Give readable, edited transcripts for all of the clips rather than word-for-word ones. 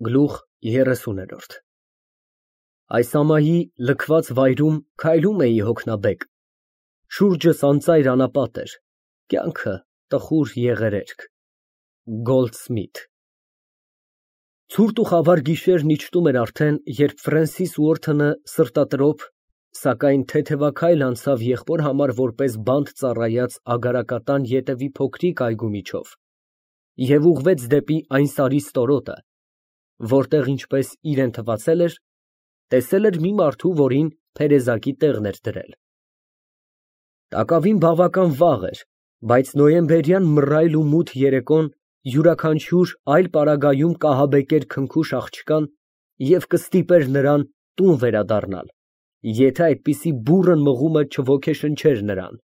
Գլուխ 30 Այս ամայի լքված վայրում քայլում էի հոգնաբեկ, շուրջս անծայր անապատ էր, կյանքը տխուր եղերերք։ Գոլդսմիթ։ Ցուրտ ու խավար գիշերն իջնում էր արդեն, երբ Ֆրենսիս Ուորթոնը սրտատրոփ, սակայն թեթևաքայլ անցավ եղբոր համար որպես բանտ ծառայած Ագարակատան ետևի փոքրիկ այգու միջով և ուղղվեց դեպի այն սարի ստորոտը, որտեղ, ինչպես իրան թվացել էր, տեսել էր մի մարդու, որին փերեզակի տեղն էր դրել։ Տակավին բավական վաղ էր, բայց նոյեմբերյան մռայլ ու մութ երեկոն յուրաքանչյուր այլ պարագայում կահաբեկեր քնքուշ աղջկան և կստիպեր նրան տուն վերադառնալ, եթե այդպիսի բուռն մղումը չոգեշնչեր նրան։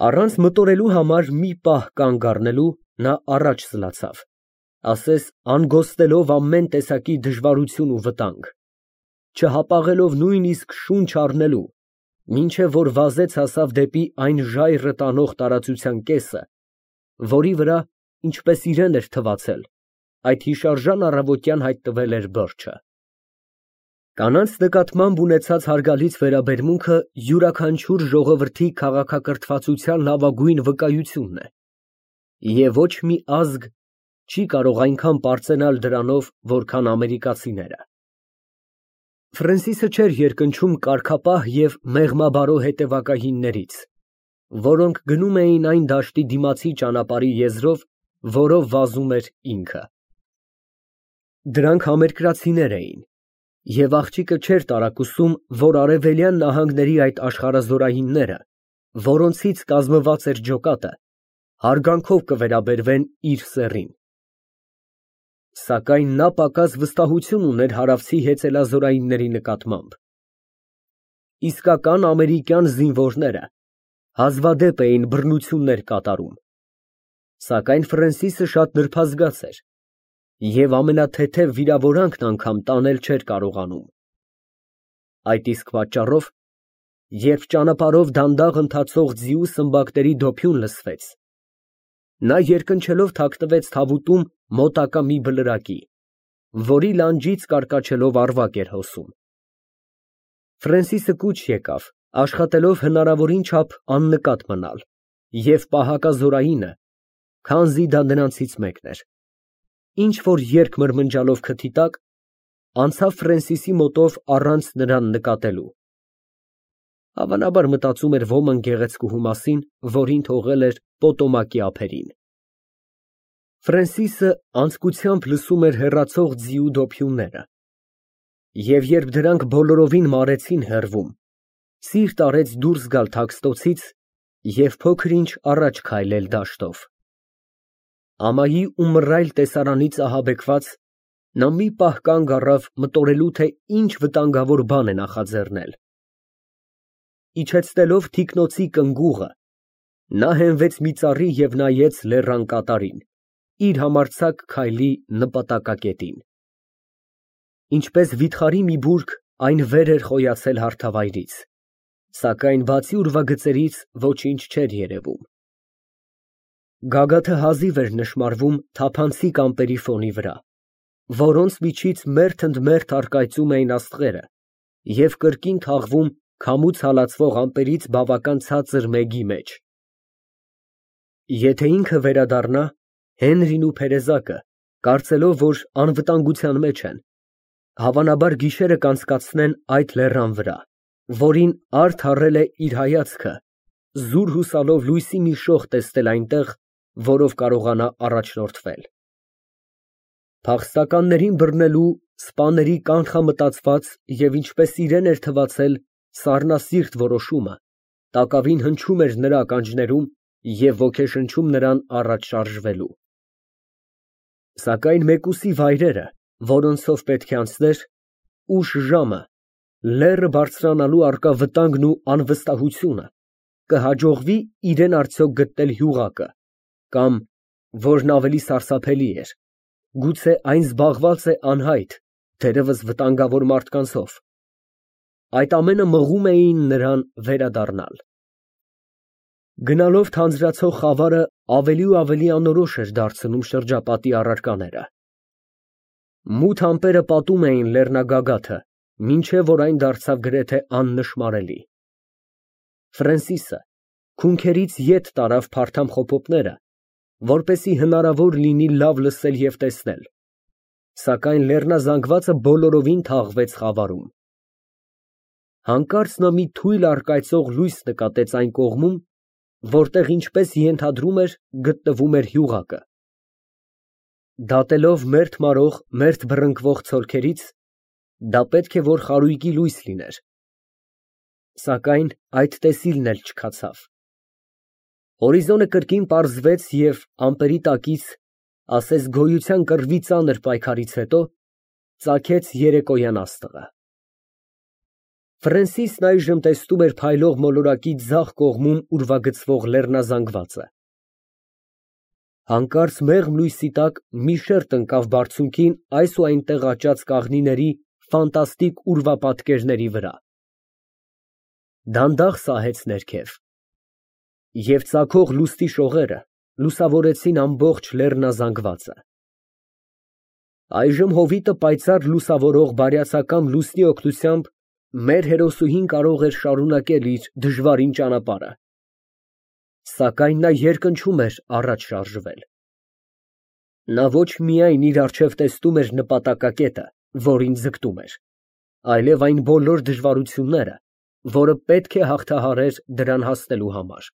Առանց մտորելու համար մի պահ կանգ առնելու, նա առաջ սլացավ, ասես անգոստելով ամեն տեսակի դժվարություն ու վտանգ, չհապաղելով նույնիսկ շունչ առնելու, մինչև որ վազեց հասավ դեպի այն ժայռը տանող տարածության կեսը, որի վրա, ինչպես իրան էր թվացել, այդ հիշարժան առավոտյան հայտնվել էր բրդը։ Կանանց նկատմամբ ունեցած հարգալից վերաբերմունքը յուրաքանչյուր ժողովրդի քաղաքակրթվածության լավագույն վկայությունն է, և ոչ մի ազգ չի կարող այնքան պարծենալ դրանով, որքան ամերիկացիները։ Ֆրենսիսը չէր երկնչում կարգապահ և մեղմաբարո հետևակայիններից, որոնք գնում էին այն դաշտի դիմացի ճանապարհի եզրով, որով վազում էր ինքը։ Դրանք համերկրացիներ էին, և աղջիկը չէր տարակուսում, որ արևելյան նահանգների այդ աշխարհազորայինները, որոնցից կազմված էր ջոկատը, հարգանքով կվերաբերվեն իր սեռին։ Սակայն նա պակաս վստահություն ուներ հարավցի հեծելազորայինների նկատմամբ։ Իսկական ամերիկյան զինվորները հազվադեպ էին բռնություններ կատարում, սակայն Ֆրենսիսը շատ նրբազգաց էր և ամենաթեթև վիրավորանքն անգամ տանել չէր կարողանում։ Այդ իսկ պատճառով, երբ ճանապարհով դանդաղ ընթացող ձիու սմբակների դոփյուն լսվեց, նա երկնչելով թաքնվեց թավուտում մոտակա մի բլրակի, որի լանջից կարկաչելով ավագ էր հոսում։ Ֆրենսիսը կուչ եկավ, աշխատելով հնարավորին չափ աննկատ մնալ, և պահակազորայինը, քանզի դա նրանցից մեկն էր, ինչ֊որ երգ մրմնջալով քթի տակ, անցավ Ֆրենսիսի մոտով առանց նրան նկատելու։ Հավանաբար մտածում էր ոմն գեղեցկուհու մասին, որին թողել էր Պոտոմակի ափերին։ Ֆրենսիսը անձկությամբ լսում էր հեռացող ձիու դոփյունները, և երբ դրանք բոլորովին մարեցին հեռվում, սիրտ արեց դուրս գալ թաքստոցից և փոքր֊ինչ առաջ քայլել դաշտով։ Ամայի ու մռայլ տեսարանից ահաբեկված, նա մի պահ կանգ առավ մտորելու, թե ինչ վտանգավոր բան է նախաձեռնել։ Իջեցնելով թիկնոցի կնգուղը, նա հենվեց մի ծառի և նայեց լեռան կատարին, իր համարձակ քայլի նպատակակետին։ Ինչպես վիթխարի մի բուրգ, այն վեր էր խոյացել հարթավայրից, սակայն բացի ուրվագծերից ոչինչ չէր երևում։ Գագաթը հազիվ էր նշմարվում թափանցիկ ամպերի ֆոնի վրա, որոնց միջից մերթ ընդ մերթ առկայծում էին աստղերը և կրկին թաղվում քամուց հալածվող ամպերից բավական ցածր մեգի մեջ։ Եթե ինքը վերադառնա, Հենրին ու փերեզակը, կարծելով, որ անվտանգության մեջ են, հավանաբար գիշերը կանցկացնեն այդ լեռան վրա, որին արդ առել է իր հայացքը, զուր հուսալով լույսի մի շող տեսնել այնտեղ, որով կարողանա առաջնորդվել։ Փախստականներին բռնելու, սպաների կանխամտածված և ինչպես իրան էր թվացել, սառնասիրտ որոշումը տակավին հնչում էր նրա ականջներում և ոգեշնչում նրան առաջ շարժվելու։ Սակայն մեկուսի վայրերը, որոնցով պետք է անցներ, ուշ ժամը, լեռը բարձրանալու առկա վտանգն ու անվստահությունը, կհաջողվի իրան արդյոք գտնել յուղակը, կամ, որն ավելի սարսափելի էր, գուցե այն զբաղված է անհայտ, թերևս վտանգավոր մարդկանցով, այդ ամենը մղում էին նրան վերադառնալ։ Գնալով թանձրացող խավարը ավելի ու ավելի անորոշ էր դարձնում շրջապատի առարկաները։ Մութ ամպերը պատում էին լեռնագագաթը, մինչև որ այն դարձավ գրեթե աննշմարելի։ Ֆրենսիսը քունքերից ետ տարավ փարթամ խոփոպները, որպեսզի հնարավոր լինի լավ լսել և տեսնել, սակայն լեռնազանգվածը բոլորովին թաղվեց խավարում։ Հանկարծ նա մի թույլ առկայծող լույս նկատեց այն կողմում, որտեղ, ինչպես ենթադրում էր, գտնվում էր հյուղակը։ Դատելով մերթ մարող, մերթ բռնկվող ցոլքերից, դա պետք է որ խարույկի լույս լիներ, սակայն այդ տեսիլն էլ չքացավ։ Հորիզոնը կրկին պարզվեց և ամպերի տակից, ասես գոյության կռվի ծանր պայքարից հետո, ծագեց երեկոյան աստղը։ Ֆրենսիսն այժմ տեսնում էր փայլող մոլորակի ձախ կողմում ուրվագծվող լեռնազանգվածը։ Հանկարծ մեղմ լույսի տակ մի շերտ ընկավ բարձունքին այս ու այնտեղ աճած կաղնիների ֆանտաստիկ ուրվապատկերների վրա։ Դանդաղ սահեց ներքև, և ծագող լուստի շողերը լուսավորեցին ամբողջ լեռնազանգվածը։ Այժմ հովիտը պայծառ լուսավորող բարյացակամ լուսնի օգնությամբ մեր հերոսուհին կարող էր շարունակել իր դժվարին ճանապարհը, սակայն նա երկնչում էր առաջ շարժվել։ Նա ոչ միայն իր առջև տեսնում էր նպատակակետը, որին ձգտում էր, այլև այն բոլոր դժվարությունները, որը պետք է հաղթահարեր դրան հասնելու համար։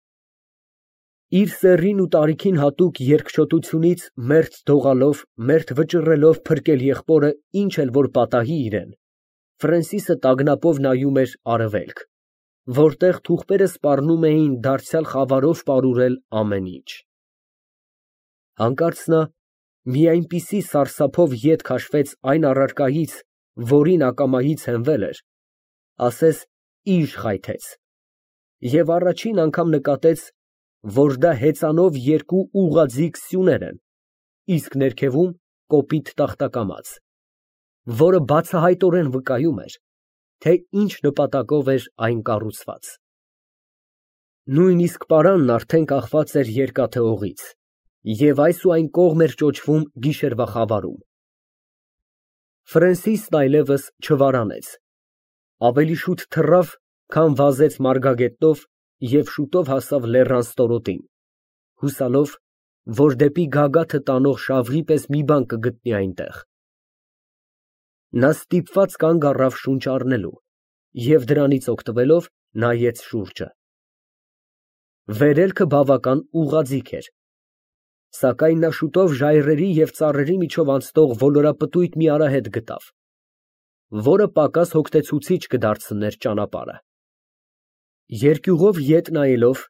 Իր սեռին ու տարիքին հատուկ երկչոտությունից մերթ դողալով, մերթ վճռելով փրկել եղբորը ինչ էլ որ պատահի իրան, Ֆրենսիսը տագնապով նայում էր արևելք, որտեղ թուղթերը սպառնում էին դարձյալ խավարով պարուրել ամեն ինչ։ Հանկարծ նա մի այնպիսի սարսափով ետ քաշվեց այն առարկայից, որին ակամայից հենվել էր, ասես իժ խայթեց, և առաջին անգամ նկատեց, որ դա հեծանով երկու ուղղաձիգ սյուներ են, իսկ ներքևում կոպիտ տախտակամաց, որը բացահայտորեն վկայում էր, թե ինչ նպատակով էր այն կառուցված։ Նույնիսկ պարանն արդեն կախված էր երկաթե օղից, և այս ու այն կողմ էր ճոճվում գիշերվա խավարում։ Ֆրենսիսն այլևս չվարանեց, ավելի շուտ թռավ, քան վազեց մարգագետնով և շուտով հասավ լեռան ստորոտին, հուսալով, որ դեպի գագաթը տանող շավիղի պես մի բան կգտնի այնտեղ։ Նա ստիպված կանգ առավ շունչ առնելու և դրանից օգտվելով նայեց շուրջը։ Վերելքը բավական ուղղաձիգ էր, սակայն նա շուտով ժայռերի և ծառերի միջով անցնող ոլորապտույտ մի արահետ գտավ, որը պակաս հոգնեցուցիչ կդարձներ ճանապարհը։ Երկյուղով ետ նայելով,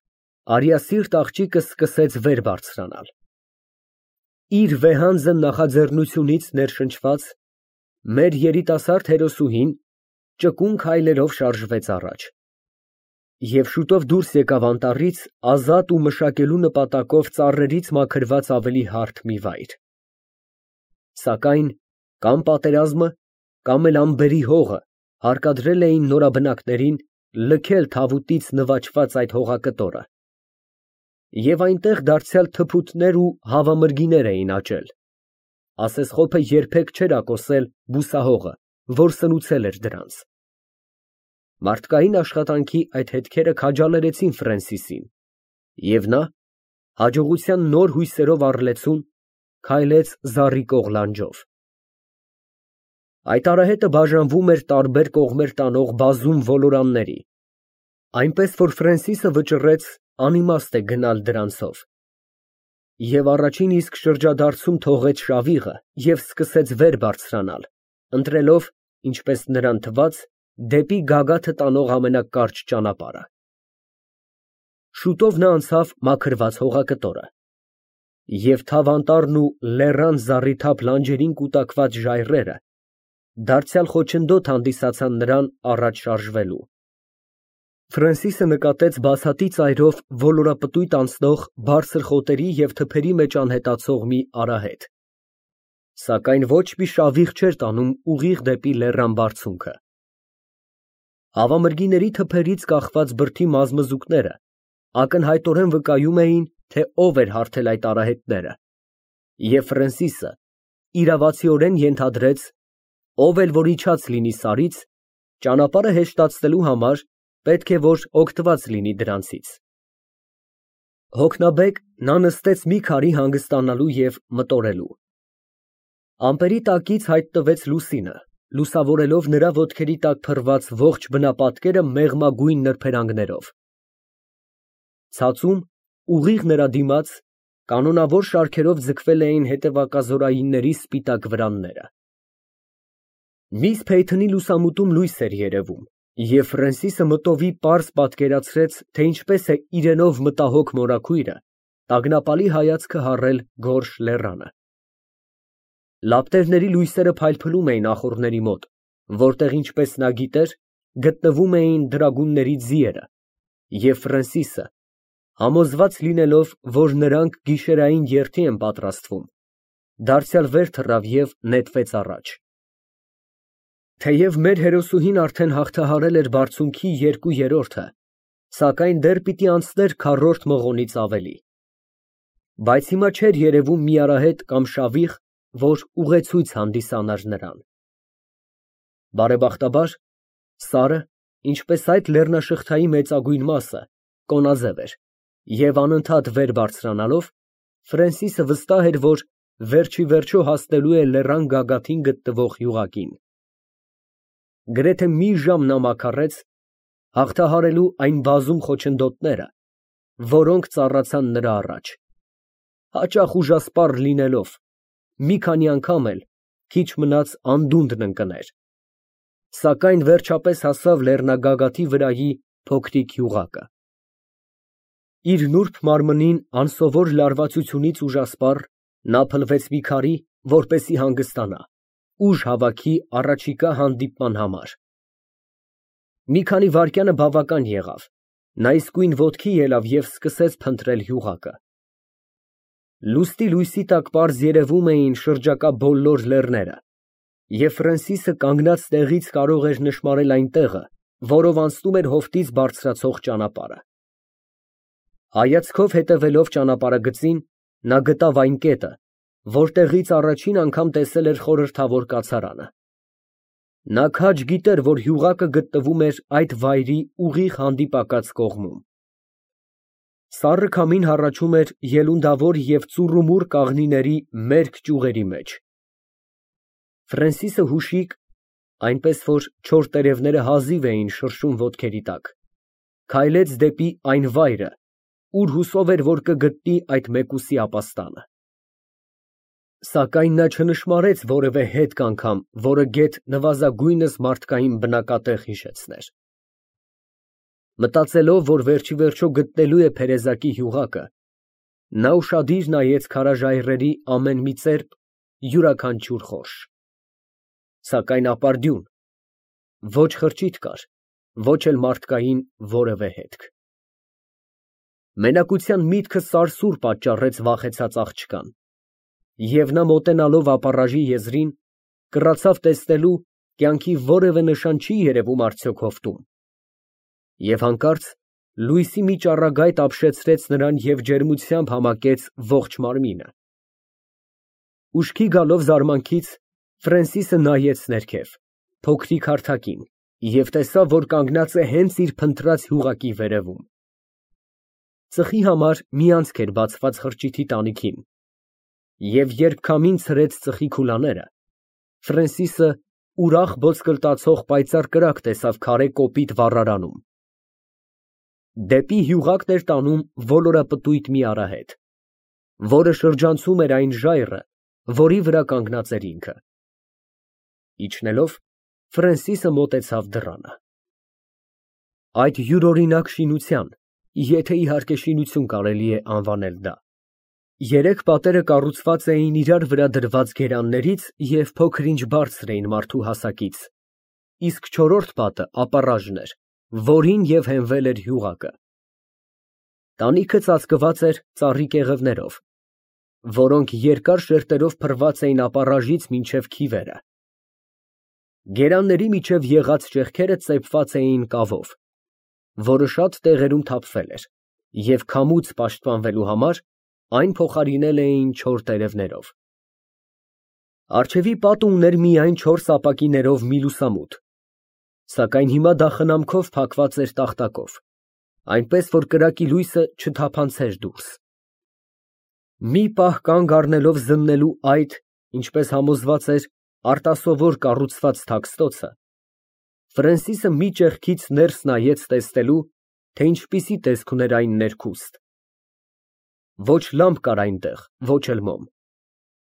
արիասիրտ աղջիկը սկսեց վեր բարձրանալ։ Իր վեհանձն նախաձեռնությունից ներշնչված, մեր երիտասարդ հերոսուհին ճկուն քայլերով շարժվեց առաջ և շուտով դուրս եկավ անտառից ազատ ու մշակելու նպատակով ծառերից մաքրված ավելի հարթ մի վայր։ Սակայն կամ պատերազմը, կամ էլ ամբերի հողը հարկադրել էին նորաբնակներին լքել թավուտից նվաճված այդ հողակտորը, և այնտեղ դարձյալ թփուտներ ու հավամրգիներ էին աճել, ասես խոփը երբեք չէր ակոսել բուսահողը, որ սնուցել էր դրանց։ Մարդկային աշխատանքի այդ հետքերը քաջալերեցին Ֆրենսիսին, և նա, հաջողության նոր հույսերով առլեցուն, քայլեց զառիվող լանջով։ Այդ արահետը բաժանվում էր տարբեր կողմեր տանող բազում ոլորանների, այնպես որ Ֆրենսիսը վճռեց անիմաստ է գնալ դրանցով, և առաջին իսկ շրջադարձում թողեց շավիղը և սկսեց վեր բարձրանալ, ընտրելով, ինչպես նրան թվաց, դեպի գագաթը տանող ամենակարճ ճանապարհը։ Շուտով նա անցավ մաքրված հողակտորը, և թավանտառն ու լեռան զառիթափ լանջերին կուտակված ժայռերը դարձյալ խոչընդոտ հանդիսացան նրան առաջ շարժվելու։ Ֆրենսիսը նկատեց բացատի ծայրով ոլորապտույտ անցնող բարձր խոտերի և թփերի մեջ անհետացող մի արահետ, սակայն ոչ մի շավիղ չէր տանում ուղիղ դեպի լեռան բարձունքը։ Հավամրգիների թփերից կախված բրդի մազմզուկները ակնհայտորեն վկայում էին, թե ով էր հարթել այդ արահետները, և Ֆրենսիսը իրավացիորեն ենթադրեց, ով էլ որ իջած լինի Սարից, ճանապարհը հեշտացնելու համար պետք է որ օգտված լինի դրանցից։ Հոգնաբեկ նա նստեց մի քարի հանգստանալու և մտորելու։ Ամպերի տակից հայտնվեց լուսինը, լուսավորելով նրա ոտքերի տակ փռված ողջ բնապատկերը մեղմագույն նրբերանգներով։ Ցածում, ուղիղ նրա դիմաց, կանոնավոր շարքերով ձգվել էին հետևակազորայինների սպիտակ վրանները։ Միս Փեյթոնի լուսամուտում լույս էր երևում, և Ֆրենսիսը մտովի պարզ պատկերացրեց, թե ինչպես է իրենով մտահոգ մորաքույրը տագնապալի հայացքը հառել գորշ լեռանը։ Լապտերների լույսերը փայլփլում էին ախոռների մոտ, որտեղ, ինչպես նա գիտեր, գտնվում էին դրագունների ձիերը, և Ֆրենսիսը, համոզված լինելով, որ նրանք գիշերային երթի են պատրաստվում, դարձյալ վեր թռավ և նետվեց առաջ։ Թեև մեր հերոսուհին արդեն հաղթահարել էր բարձունքի 2/3-ը, սակայն դեռ պիտի անցներ քառորդ մղոնից ավելի։ Բայց հիմա չէր երևում մի արահետ կամ շավիղ, որ ուղեցույց հանդիսանար նրան։ Բարեբախտաբար, Սարը, ինչպես այդ լեռնաշղթայի մեծագույն մասը, կոնաձև էր, և անընդհատ վեր բարձրանալով, Ֆրենսիսը վստահ էր, որ վերջիվերջո հասնելու է լեռան գագաթին գտնվող յուղակին։ Գրեթե մի ժամ նա մաքարեց, հաղթահարելու այն բազում խոչընդոտները, որոնք ծառացան նրա առաջ, հաճախ ուժասպառ լինելով, մի քանի անգամ էլ քիչ մնաց անդունդն ընկներ, սակայն վերջապես հասավ լեռնագագաթի վրայի փոքրիկ յուղակը։ Իր նուրբ մարմնին անսովոր լարվածությունից ուժասպառ, նա փլվեց մի քարի, որպեսզի հանգստանա, ուժ հավաքի առաջիկա հանդիպման համար։ Մի քանի վայրկյանը բավական եղավ, նա իսկույն ոտքի ելավ և սկսեց փնտրել յուղակը։ Լուստի լույսի տակ պարզ երևում էին շրջակա բոլոր լեռները, և Ֆրենսիսը կանգնած տեղից կարող էր նշմարել այն տեղը, որով անցնում էր հովտից բարձրացող ճանապարհը։ Հայացքով հետևելով ճանապարհագծին, նա գտավ այն կետը, որտեղից առաջին անգամ տեսել էր խորհրդավոր կացարանը։ Նա քաջ գիտեր, որ յուղակը գտնվում էր այդ վայրի ուղիղ հանդիպակաց կողմում։ Սառը քամին հառաչում էր ելունդավոր և ծուռումուռ կաղնիների մերկ ճյուղերի մեջ։ Ֆրենսիսը հուշիկ, այնպես որ չոր տերևները հազիվ էին շրշում ոտքերի տակ, քայլեց դեպի այն վայրը, ուր հուսով էր, որ կգտնի այդ մեկուսի ապաստանը։ Սակայն նա չնշմարեց որևէ հետք անգամ, որը գեթ նվազագույնս մարդկային բնակատեղ հիշեցներ։ Մտածելով, որ վերջիվերջո գտնելու է փերեզակի յուղակը, նա ուշադիր նայեց քարաժայռերի ամեն մի ծերք, յուրաքանչյուր խորշ։ Սակայն ապարդյուն, ոչ խրճիթ կար, ոչ էլ մարդկային որևէ հետք։ Մենակության միտքը սարսուռ պատճառեց վախեցած աղջկան, և նա մոտենալով ապառաժի եզրին, կռացավ տեսնելու կյանքի որևէ նշան չի երևում արդյոք հովտում։ Եվ հանկարծ լույսի մի ճառագայթ ապշեցրեց նրան և ջերմությամբ համակեց ողջ մարմինը։ Ուշքի գալով զարմանքից, Ֆրենսիսը նայեց ներքև, փոքրիկ հարթակին, և տեսավ, որ կանգնած է հենց իր փնտրած յուղակի վերևում։ Ծխի համար մի անցք էր բացված խրճիթի տանիքին, և երբ քամին ցրեց ծխի քուլաները, Ֆրենսիսը ուրախ ոսկլտացող պայծառ կրակ տեսավ քարե կոպիտ վառարանում։ Դեպի յուղակն էր տանում ոլորապտույտ մի արահետ, որը շրջանցում էր այն ժայռը, որի վրա կանգնած էր ինքը։ Իջնելով, Ֆրենսիսը մոտեցավ դռանը։ Այդ յուրօրինակ շինության, եթե իհարկե շինություն կարելի է անվանել դա, երեք պատերը կառուցված էին իրար վրա դրված գերաններից և փոքր-ինչ բարձր էին մարդու հասակից, իսկ չորրորդ պատը ապառաժն էր, որին և հենվել էր յուղակը։ Տանիքը ծածկված էր ծառի կեղևներով, որոնք երկար շերտերով փռված էին ապառաժից մինչև քիվերը։ Գերանների միջև եղած ճեղքերը ծեփված էին կավով, որը շատ տեղերում թափվել էր, և քամուց պաշտպանվելու համար այն փոխարինել էին չոր տերևներով։ Առջևի պատը ուներ միայն 4 ապակիներով մի լուսամուտ, սակայն հիմա դա խնամքով փակված էր տախտակով, այնպես որ կրակի լույսը չթափանցեր դուրս։ Մի պահ կանգ առնելով զննելու այդ, ինչպես համոզված էր, արտասովոր կառուցված թաքստոցը, Ֆրենսիսը մի ճեղքից ներս նայեց տեսնելու, թե ինչպիսի տեսք ուներ այն ներքուստ։ Ոչ լամպ կար այնտեղ, ոչ էլ մոմ,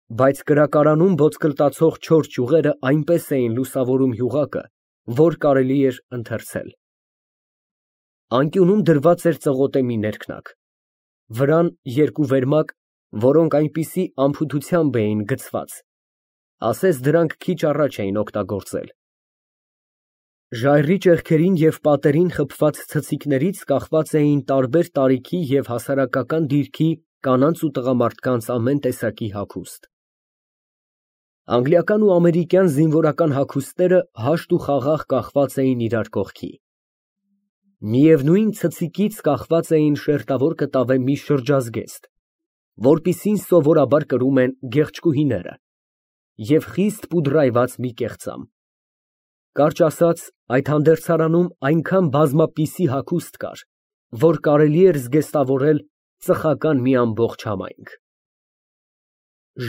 բայց կրակարանում ոտկլտացող 4 ճյուղերը այնպես էին լուսավորում յուղակը, որ կարելի էր ընթերցել։ Անկյունում դրված էր ծղոտե մի ներքնակ, վրան 2 վերմակ, որոնք այնպիսի անփութությամբ էին գցված, ասես դրանք քիչ առաջ էին օգտագործել։ Ժայռի ճեղքերին և պատերին խփված ցցիկներից կախված էին տարբեր տարիքի և հասարակական դիրքի կանանց ու տղամարդկանց ամեն տեսակի հագուստ։ Անգլիական ու ամերիկյան զինվորական հագուստները հաշտ ու խաղաղ կախված էին իրար կողքի։ Միևնույն ցցիկից կախված էին շերտավոր կտավե մի շրջազգեստ, որպիսին սովորաբար կրում են գեղեցկուհիները, և խիստ պուդրայված մի կեղծամ։ Կարճ ասած, այդ հանդերձարանում այնքան բազմապիսի հագուստ կար, որ կարելի էր զգեստավորել ծխական մի ամբողջ համայնք։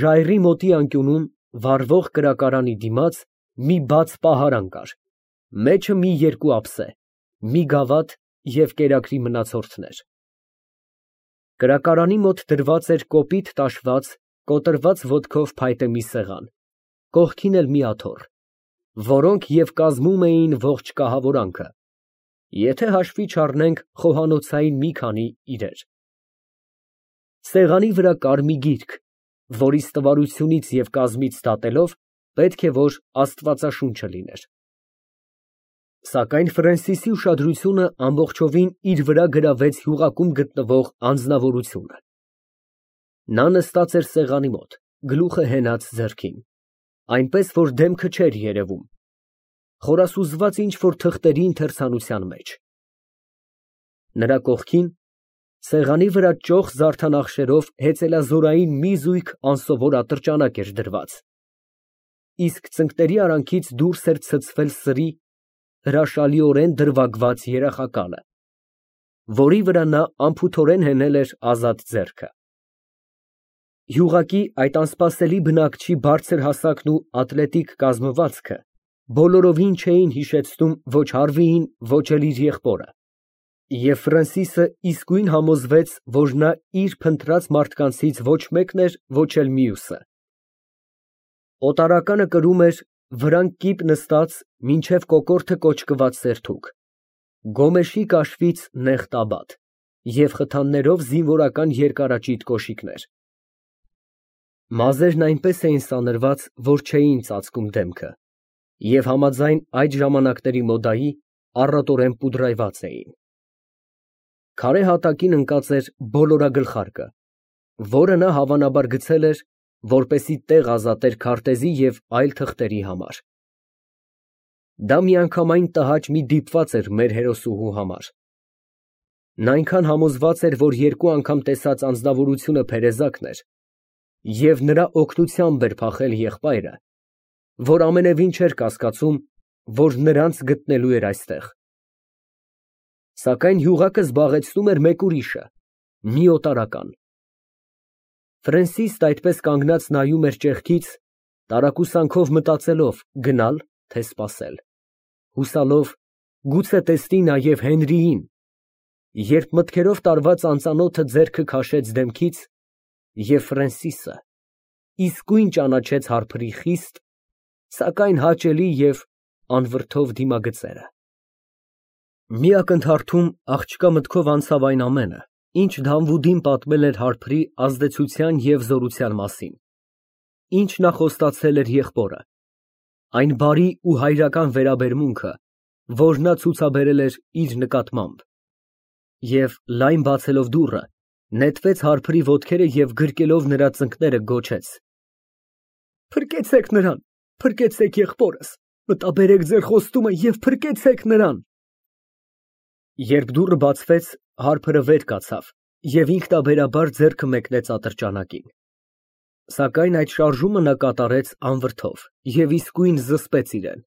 Ժայռի մոտի անկյունում, վառվող կրակարանի դիմաց, մի բաց պահարան կար, մեջը մի 2 ափսե, մի գավաթ և կերակրի մնացորդներ։ Կրակարանի մոտ դրված էր կոպիտ տաշված, կոտրված ոտքով փայտե մի սեղան, կողքին էլ մի աթոռ, որոնք և կազմում էին ողջ կահավորանքը, եթե հաշվի չառնենք խոհանոցային մի քանի իրեր։ Սեղանի վրա կար մի գիրք, որի ստվարությունից և կազմից դատելով, պետք է որ աստվածաշունչը լիներ։ Սակայն Ֆրենսիսի ուշադրությունը ամբողջովին իր վրա գրավեց յուղակում գտնվող անձնավորությունը։ Նա նստած էր սեղանի մոտ, գլուխը հենած ձեռքին, այնպես որ դեմքը չէր երևում, խորասուզված ինչ֊որ թղթերի ընթերցանության մեջ։ Նրա կողքին, սեղանի վրա ճոխ զարդանախշերով հեծելազորային մի զույգ անսովոր ատրճանակ էր դրված, իսկ ծնկների արանքից դուրս էր ցցվել սրի, հրաշալիորեն դրվագված երախակալը, որի վրա նա անփութորեն հենել էր ազատ ձեռքը։ Յուղակի այդ անսպասելի բնակչի բարձր հասակն ու ատլետիկ կազմվածքը բոլորովին չէին հիշեցնում ոչ Հարվիին, ոչ էլ իր եղբորը, և Ֆրենսիսը իսկույն համոզվեց, որ նա իր փնտրած մարդկանցից ոչ մեկն էր, ոչ էլ մյուսը։ Օտարականը կրում էր վրան կիպ նստած մինչև կոկորդը կոճկված սերթուկ, գոմեշի կաշվից նեղ տաբատ և խթաններով զինվորական երկարաճիտ կոշիկներ։ Մազերն այնպես էին սանրված, որ չէին ծածկում դեմքը, և համաձայն այդ ժամանակների մոդայի, առատորեն պուդրայված էին։ Քարե հատակին ընկած էր բոլորագլխարկը, որը նա հավանաբար գցել էր, որպեսզի տեղ ազատեր քարտեզի և այլ թղթերի համար։ Դա միանգամայն տհաճ մի դիպված էր մեր հերոսուհու համար։ Նա այնքան համոզված էր, որ 2 անգամ տեսած անձնավորությունը փերեզակն էր և նրա օգնությամբ էր փախել եղբայրը, որ ամենևին չէր կասկածում, որ նրանց գտնելու էր այստեղ։ Սակայն յուղակը զբաղեցնում էր մեկ ուրիշը, մի օտարական։ Ֆրենսիսն այդպես կանգնած նայում էր ճեղքից, տարակուսանքով մտածելով գնալ, թե սպասել, հուսալով գուցե տեսնի նաև Հենրիին, երբ մտքերով տարված անծանոթը ձեռքը քաշեց դեմքից, և Ֆրենսիսը իսկույն ճանաչեց Հարփրի խիստ, սակայն հաճելի և անվրդով դիմագծերը։ Մի ակնթարթում աղջկա մտքով անցավ այն ամենը, ինչ Դանվուդին պատմել էր Հարփրի ազդեցության և զորության մասին, ինչ նա խոստացել էր եղբորը, այն բարի ու հայրական վերաբերմունքը, որ նա ցուցաբերել էր իր նկատմամբ, և, լայն բացելով դուռը, նետվեց Հարփրի ոտքերը և գրկելով նրա ծնկները գոչեց. «Փրկեցեք նրան, փրկեցեք եղբորս, մտաբերեք ձեր խոստումը և փրկեցեք նրան»։ Երբ դուռը բացվեց, Հարփրը վեր կացավ և ինքնաբերաբար ձեռքը մեկնեց ատրճանակին։ Սակայն այդ շարժումը նա կատարեց անվրդով և իսկույն զսպեց իրեն։